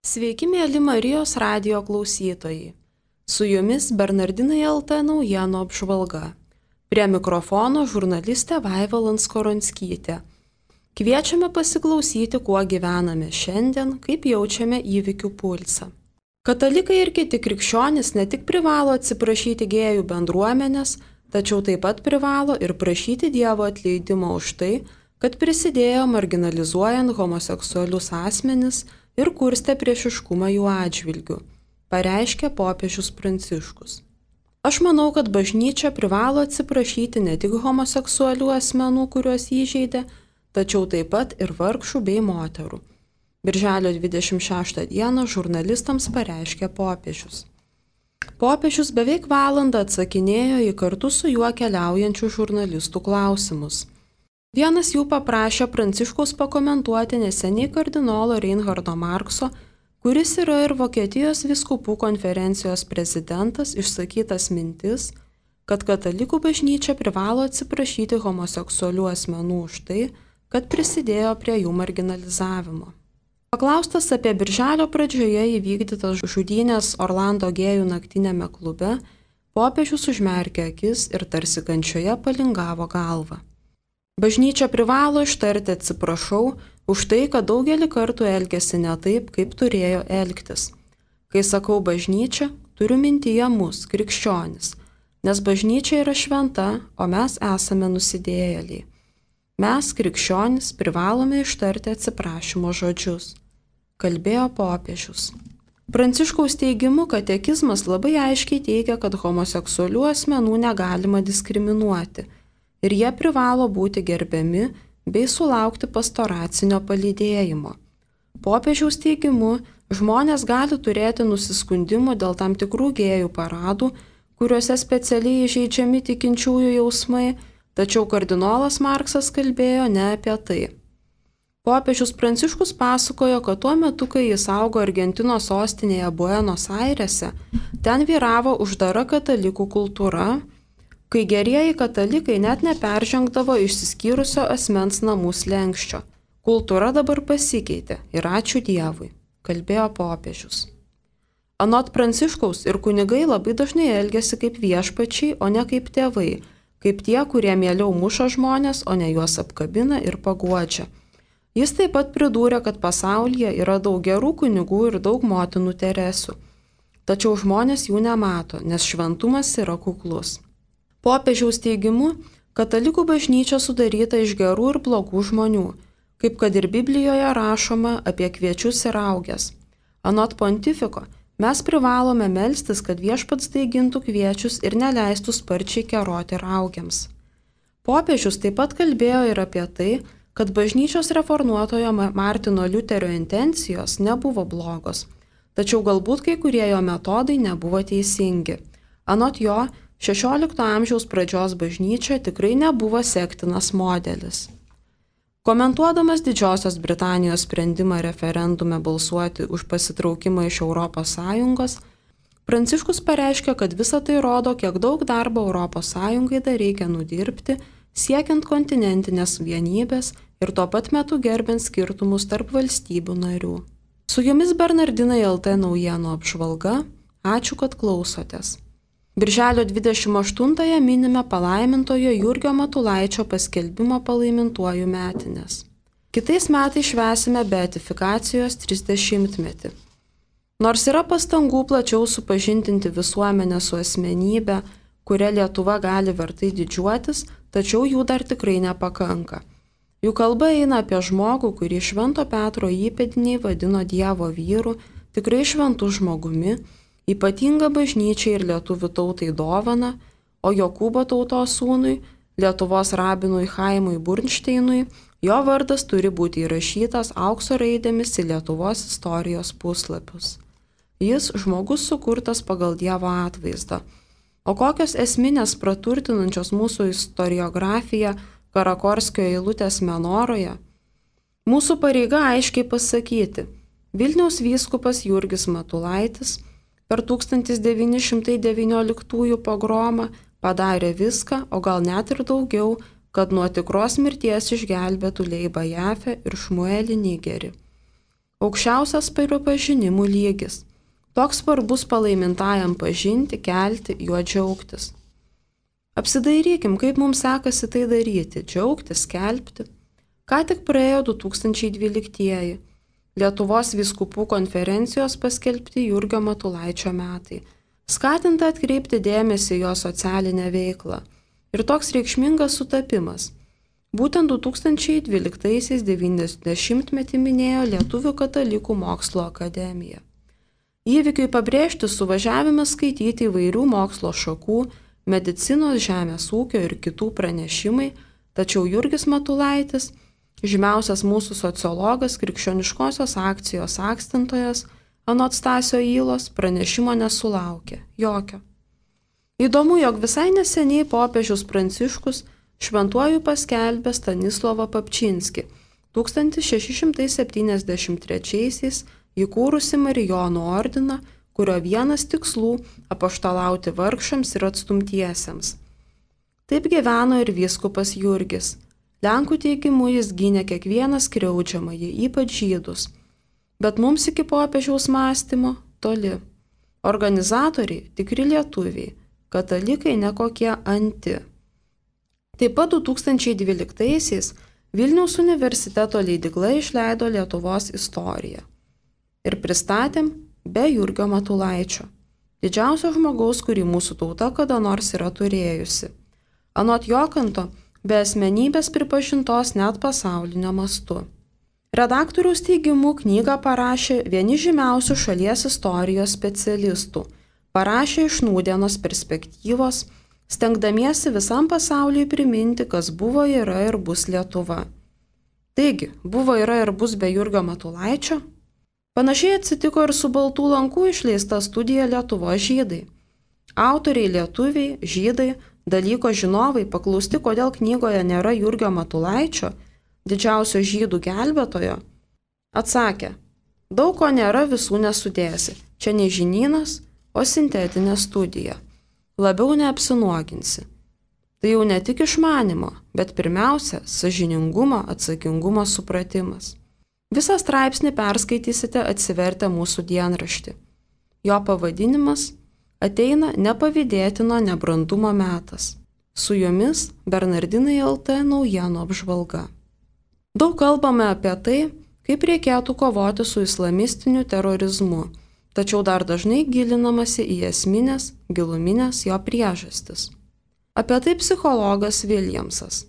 Sveiki, mėly Marijos radijo klausytojai. Su jumis Bernardinai LT naujienų apžvalga. Prie mikrofono žurnalistė Vaiva Lanskoronskitė. Kviečiame pasiklausyti, kuo gyvename šiandien, kaip jaučiame įvykių pulsą. Katalikai ir kiti krikščionys ne tik privalo atsiprašyti gėjų bendruomenės, tačiau taip pat privalo ir prašyti Dievo atleidimo už tai, kad prisidėjo marginalizuojant homoseksualius asmenis ir kurstė priešiškumą jų atžvilgių, pareiškė popiežius Pranciškus. Aš manau, kad bažnyčia privalo atsiprašyti ne tik homoseksualių asmenų, kuriuos įžeidė, tačiau taip pat ir vargšų bei moterų. Birželio 26 dieną žurnalistams pareiškė popiežius. Popiežius beveik valandą atsakinėjo į kartu su juo keliaujančių žurnalistų klausimus. Vienas jų paprašė Pranciškaus pakomentuoti neseniai kardinolo Reinhardo Markso, kuris yra ir Vokietijos vyskupų konferencijos prezidentas, išsakytas mintis, kad katalikų bažnyčia privalo atsiprašyti homoseksualių asmenų už tai, kad prisidėjo prie jų marginalizavimo. Paklaustas apie birželio pradžioje įvykdytas žudynės Orlando gėjų naktinėme klube, popiežius užmerkė akis ir tarsi kančioje palingavo galvą. Bažnyčia privalo ištarti atsiprašau už tai, kad daugelį kartų elgėsi ne taip, kaip turėjo elgtis. Kai sakau bažnyčia, turiu mintyje mus, krikščionis, nes bažnyčia yra šventa, o mes esame nusidėjėliai. Mes, krikščionis, privalome ištarti atsiprašymo žodžius, kalbėjo popiežius. Pranciškaus teigimu, katekizmas labai aiškiai teigia, kad homoseksualių asmenų negalima diskriminuoti ir jie privalo būti gerbiami bei sulaukti pastoracinio palydėjimo. Popiežiaus teigimu, žmonės gali turėti nusiskundimų dėl tam tikrų gėjų paradų, kuriuose specialiai įžeidžiami tikinčiųjų jausmai, tačiau kardinolas Marksas kalbėjo ne apie tai. Popiežius Pranciškus pasakojo, kad tuo metu, kai jis augo Argentinos sostinėje Buenos Airėse, ten vyravo uždara katalikų kultūra, kai gerieji katalikai net neperžengdavo išsiskyrusio asmens namų slenksčio. Kultūra dabar pasikeitė ir ačiū Dievui, kalbėjo popiežius. Anot Pranciškaus ir kunigai labai dažnai elgiasi kaip viešpačiai, o ne kaip tėvai, kaip tie, kurie mieliau muša žmonės, o ne juos apkabina ir paguodžia. Jis taip pat pridūrė, kad pasaulyje yra daug gerų kunigų ir daug motinų Teresių. Tačiau žmonės jų nemato, nes šventumas yra kuklus. Popiežiaus teigimu, katalikų bažnyčia sudaryta iš gerų ir blogų žmonių, kaip kad ir Biblijoje rašoma apie kviečius ir rauges. Anot pontifiko, mes privalome melstis, kad viešpats daigintų kviečius ir neleistų sparčiai keroti raugiams. Popiežius taip pat kalbėjo ir apie tai, kad bažnyčios reformuotojo Martino Liuterio intencijos nebuvo blogos, tačiau galbūt kai kurie jo metodai nebuvo teisingi. Anot jo, 16 amžiaus pradžios bažnyčia tikrai nebuvo sektinas modelis. Komentuodamas Didžiosios Britanijos sprendimą referendume balsuoti už pasitraukimą iš ES, Pranciškus pareiškė, kad visa tai rodo, kiek daug darbo ES dar reikia nudirbti, siekiant kontinentinės vienybės ir tuo pat metu gerbent skirtumus tarp valstybių narių. Su jumis Bernardinai LT naujienų apžvalga. Ačiū, kad klausotės. Birželio 28-ąją minime palaimintojo Jurgio Matulaičio paskelbimo palaimintuoju metinės. Kitais metais švęsime beatifikacijos 30-metį. Nors yra pastangų plačiau supažindinti visuomenę su asmenybė, kuria Lietuva gali vertai didžiuotis, tačiau jų dar tikrai nepakanka. Jų kalba eina apie žmogų, kurį Švento Petro įpėdiniai vadino Dievo vyru, tikrai šventu žmogumi, ypatinga bažnyčiai ir lietuvių tautai dovana, o Jokūbo tautos sūnui, Lietuvos rabinui Chaimui Burnšteinui, jo vardas turi būti įrašytas aukso raidėmis į Lietuvos istorijos puslapius. Jis žmogus sukurtas pagal Dievo atvaizdą. O kokios esminės praturtinančios mūsų istoriografiją Karakorskio eilutės Menoroje? Mūsų pareiga aiškiai pasakyti, Vilniaus vyskupas Jurgis Matulaitis per 1919 pogromą padarė viską, o gal net ir daugiau, kad nuo tikros mirties išgelbėtų Leibą Jafę ir Šmuelį Nigerį. aukščiausias pripažinimų lygis. Toks svarbus palaimintajam pažinti, kelti, juo džiaugtis. Apsidairykim, kaip mums sekasi tai daryti, džiaugtis, skelbti. Ką tik praėjo 2012-ieji, Lietuvos vyskupų konferencijos paskelbti Jurgio Matulaičio metai, skatinta atkreipti dėmesį jo socialinę veiklą. Ir toks reikšmingas sutapimas. Būtent 2012-aisiais 90-metį minėjo Lietuvių katalikų mokslo akademija. Įvykiui pabrėžti suvažiavime skaityti įvairių mokslo šakų, medicinos, žemės ūkio ir kitų pranešimai, tačiau Jurgis Matulaitis, žymiausias mūsų sociologas, krikščioniškosios akcijos akstantojas, anot Stasio Ylos, pranešimo nesulaukė, jokio. Įdomu, jog visai neseniai popiežius Pranciškus šventuoju paskelbė Stanislovą Papčinskį, 1673 įkūrusi Marijonų ordiną, kurio vienas tikslų – apaštalauti vargšams ir atstumtiesiems. Taip gyveno ir vyskupas Jurgis. Lenkų teigimu jis gynė kiekvieną skriaudžiamąjį, ypač žydus. Bet mums iki popiežiaus mąstymo toli. Organizatoriai – tikri lietuviai, katalikai nekokie anti. Taip pat 2012-aisiais Vilniaus universiteto leidykla išleido Lietuvos istoriją. Ir pristatėm be Jurgio Matulaičio, didžiausio žmogaus, kurį mūsų tauta kada nors yra turėjusi. Anot Jokanto, be asmenybės pripažintos net pasaulinio mastu. Redaktoriaus teigimu knygą parašė vieni žymiausių šalies istorijos specialistų, parašė iš nūdienos perspektyvos, stengdamiesi visam pasauliui priminti, kas buvo, yra ir bus Lietuva. Taigi, buvo, yra ir bus be Jurgio Matulaičio? Panašiai atsitiko ir su Baltų lankų išleista studija Lietuvos žydai. Autoriai lietuviai, žydai, dalyko žinovai paklausti, kodėl knygoje nėra Jurgio Matulaičio, didžiausio žydų gelbėtojo, atsakė, daug ko nėra, visų nesudėsi, čia ne žinynas, o sintetinė studija. Labiau neapsinuoginsi. Tai jau ne tik išmanimo, bet pirmiausia, sąžiningumo, atsakingumo supratimas. Visą straipsnį perskaitysite atsivertę mūsų dienraštį. Jo pavadinimas ateina nepavydėtino nebrandumo metas. Su jumis Bernardinai LT naujienų apžvalga. Daug kalbame apie tai, kaip reikėtų kovoti su islamistiniu terorizmu, tačiau dar dažnai gilinamasi į esminės, giluminės jo priežastis. Apie tai psichologas Williamsas.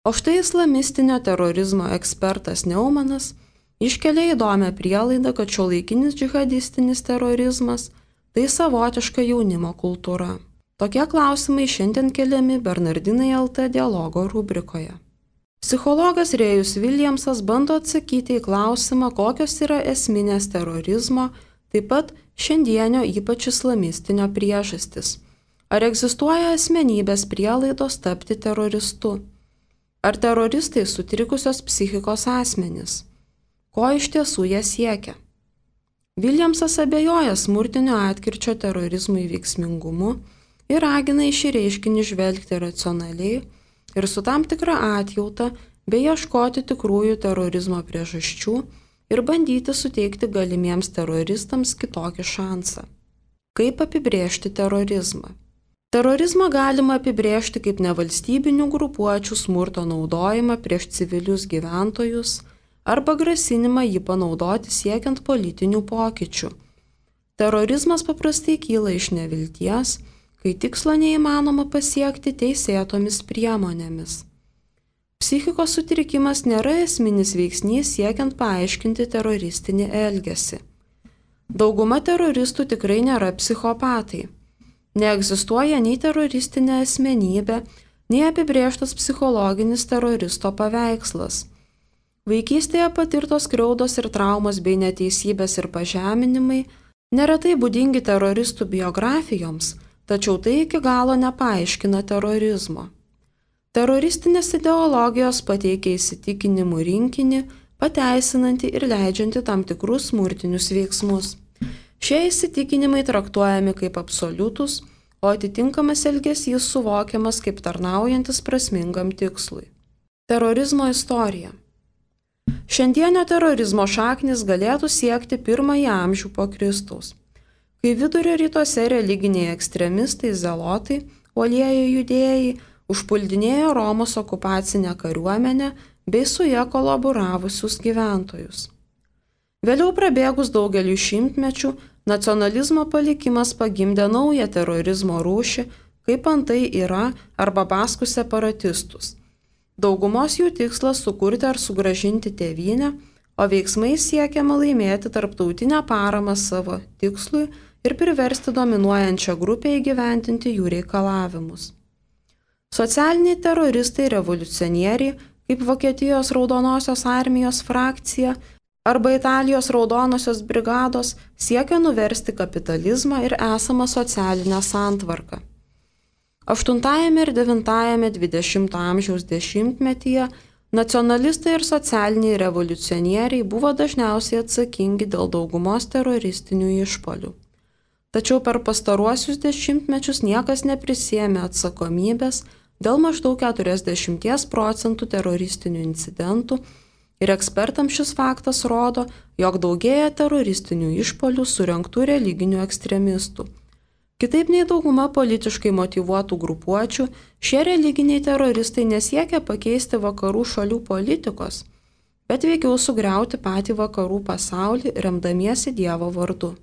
O štai islamistinio terorizmo ekspertas Neumanas iškelia įdomią prielaidą, kad šiuolaikinis džihadistinis terorizmas – tai savotiška jaunimo kultūra. Tokie klausimai šiandien keliami Bernardinai LT dialogo rubrikoje. Psichologas Rėjus Williamsas bando atsakyti į klausimą, kokios yra esminės terorizmo, taip pat šiandienio ypač islamistinio priežastis. Ar egzistuoja asmenybės prielaidos tapti teroristu? Ar teroristai sutrikusios psichikos asmenys? Ko iš tiesų jie siekia? Williamsas abejoja smurtinio atkirčio terorizmui veiksmingumu ir ragina į šį reiškinį žvelgti racionaliai ir su tam tikra atjauta bei ieškoti tikrųjų terorizmo priežasčių ir bandyti suteikti galimiems teroristams kitokį šansą. Kaip apibrėžti terorizmą? Terorizmą galima apibrėžti kaip nevalstybinių grupuočių smurto naudojimą prieš civilius gyventojus arba grasinimą jį panaudoti siekiant politinių pokyčių. Terorizmas paprastai kyla iš nevilties, kai tikslo neįmanoma pasiekti teisėtomis priemonėmis. Psichikos sutrikimas nėra esminis veiksnys siekiant paaiškinti teroristinį elgesį. Dauguma teroristų tikrai nėra psichopatai. Neegzistuoja nei teroristinė asmenybė, nei apibrėžtas psichologinis teroristo paveikslas. Vaikystėje patirtos skriaudos ir traumos bei neteisybės ir pažeminimai neretai būdingi teroristų biografijoms, tačiau tai iki galo nepaaiškina terorizmo. Teroristinės ideologijos pateikia įsitikinimų rinkinį, pateisinantį ir leidžiantį tam tikrus smurtinius veiksmus. Šie įsitikinimai traktuojami kaip absoliutus, o atitinkamas elgesys suvokiamas kaip tarnaujantis prasmingam tikslui. Terorizmo istorija. Šiandienio terorizmo šaknis galėtų siekti 1 amžių po Kristaus, kai vidurio rytuose religiniai ekstremistai zelotai, uolieji judėjai, užpuldinėjo Romos okupacinę kariuomenę bei su ja kolaboravusius gyventojus. Vėliau prabėgus daugeliu šimtmečių, nacionalizmo palikimas pagimdė naują terorizmo rūšį, kaip antai yra arba baskų separatistus. Daugumos jų tikslas sukurti ar sugrąžinti tėvynę, o veiksmais siekiama laimėti tarptautinę paramą savo tikslui ir priversti dominuojančią grupę įgyvendinti jų reikalavimus. Socialiniai teroristai revoliucionieriai, kaip Vokietijos Raudonosios armijos frakcija arba Italijos Raudonosios brigados, siekia nuversti kapitalizmą ir esamą socialinę santvarką. 8 ir 9 20 amžiaus dešimtmetyje nacionalistai ir socialiniai revoliucionieriai buvo dažniausiai atsakingi dėl daugumos teroristinių išpuolių. Tačiau per pastaruosius dešimtmečius niekas neprisėmė atsakomybės dėl maždaug 40% teroristinių incidentų ir ekspertams šis faktas rodo, jog daugėja teroristinių išpuolių surengtų religinių ekstremistų. Kitaip nei dauguma politiškai motyvuotų grupuočių, šie religiniai teroristai nesiekia pakeisti vakarų šalių politikos, bet veikiau sugriauti patį vakarų pasaulį remdamiesi Dievo vardu.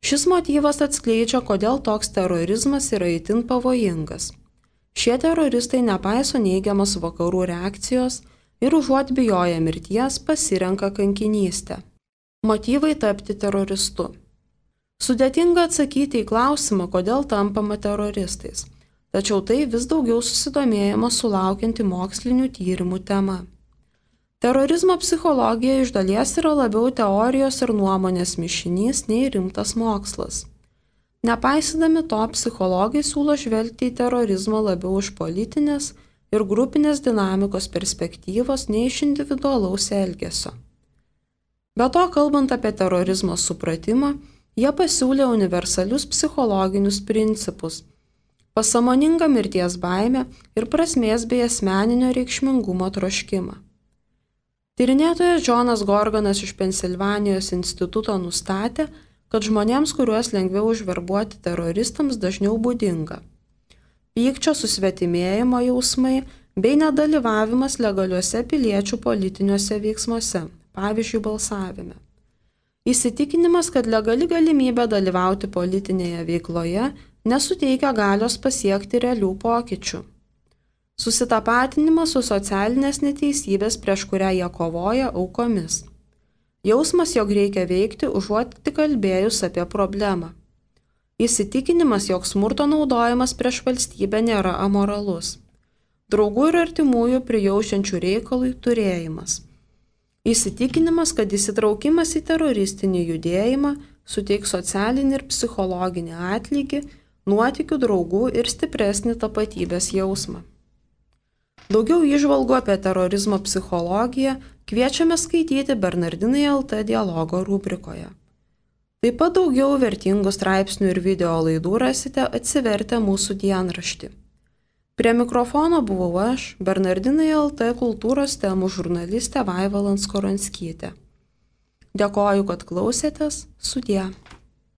Šis motyvas atskleidžia, kodėl toks terorizmas yra itin pavojingas. Šie teroristai nepaiso neigiamas vakarų reakcijos ir užuot bijoję mirties pasirenka kankinystę. Motyvai tapti teroristu. Sudėtinga atsakyti į klausimą, kodėl tampama teroristais, tačiau tai vis daugiau susidomėjimo sulaukianti mokslinių tyrimų tema. Terorizmo psichologija iš dalies yra labiau teorijos ir nuomonės mišinys nei rimtas mokslas. Nepaisydami to, psichologai siūlo žvelgti į terorizmą labiau iš politinės ir grupinės dinamikos perspektyvos nei iš individualaus elgesio. Be to, kalbant apie terorizmo supratimą, jie pasiūlė universalius psichologinius principus – pasąmoningą mirties baimę ir prasmės bei asmeninio reikšmingumo troškimą. Tyrinėtojas Džonas Gorganas iš Pensilvanijos instituto nustatė, kad žmonėms, kuriuos lengviau užverbuoti teroristams, dažniau būdinga pykčio susvetimėjimo jausmai bei nedalyvavimas legaliuose piliečių politiniuose veiksmuose, pavyzdžiui, balsavime. Įsitikinimas, kad legali galimybė dalyvauti politinėje veikloje nesuteikia galios pasiekti realių pokyčių. Susitapatinimas su socialinės neteisybės, prieš kurią jie kovoja, aukomis. Jausmas, jog reikia veikti, užuot tik kalbėjus apie problemą. Įsitikinimas, jog smurto naudojimas prieš valstybę nėra amoralus. Draugų ir artimųjų prijaučiančių reikalui turėjimas. Įsitikinimas, kad įsitraukimas į teroristinį judėjimą suteiks socialinį ir psichologinį atlygį, nuotykių, draugų ir stipresnį tapatybės jausmą. Daugiau įžvalgų apie terorizmo psichologiją kviečiame skaityti Bernardinai LT dialogo rubrikoje. Taip pat daugiau vertingų straipsnių ir video laidų rasite atsivertę mūsų dienraštį. Prie mikrofono buvau aš, Bernardinai LT kultūros temų žurnalistė Vaiva Lanskoronskytė. Dėkoju, kad klausėtės, sudie.